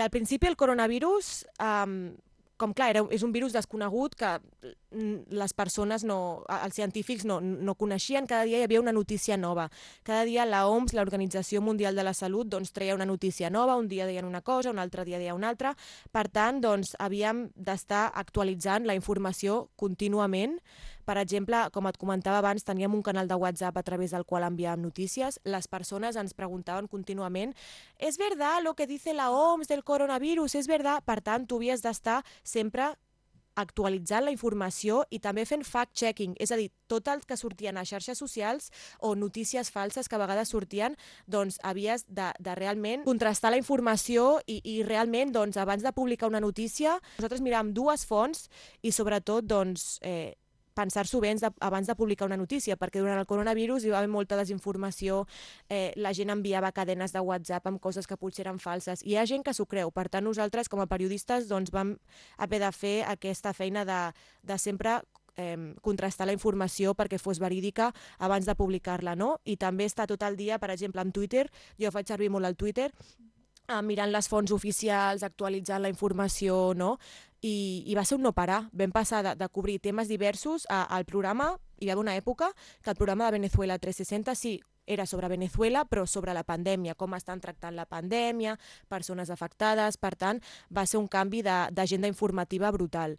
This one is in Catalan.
Al principi el coronavirus, com clar, és un virus desconegut que les persones, els científics no coneixien, cada dia hi havia una notícia nova. Cada dia la OMS, l'Organització Mundial de la Salut, doncs, treia una notícia nova, un dia deien una cosa, un altre dia deien una altra. Per tant, doncs, havíem d'estar actualitzant la informació contínuament. Per exemple, com et comentava abans, teníem un canal de WhatsApp a través del qual enviàvem notícies. Les persones ens preguntaven contínuament ¿es verdad lo que dice la OMS del coronavirus? ¿Es verdad? Per tant, tu havies d'estar sempre actualitzant la informació i també fent fact-checking, és a dir, tot el que sortien a xarxes socials o notícies falses que a vegades sortien, doncs havies de realment contrastar la informació i realment, doncs, abans de publicar una notícia, nosaltres miràvem dues fonts i sobretot, doncs, pensar-s'ho bé abans de publicar una notícia, perquè durant el coronavirus hi va haver molta desinformació, la gent enviava cadenes de WhatsApp amb coses que potser eren falses, i hi ha gent que s'ho creu. Per tant, nosaltres, com a periodistes, doncs, vam haver de fer aquesta feina de sempre contrastar la informació perquè fos verídica abans de publicar-la, no? I també estar tot el dia, per exemple, amb Twitter, jo faig servir molt el Twitter, mirant les fonts oficials, actualitzant la informació, no? I va ser un no parar. Vam passar de cobrir temes diversos al programa. Hi va haver una època que el programa de Venezuela 360 sí, era sobre Venezuela, però sobre la pandèmia, com estan tractant la pandèmia, persones afectades. Per tant, va ser un canvi d'agenda informativa brutal.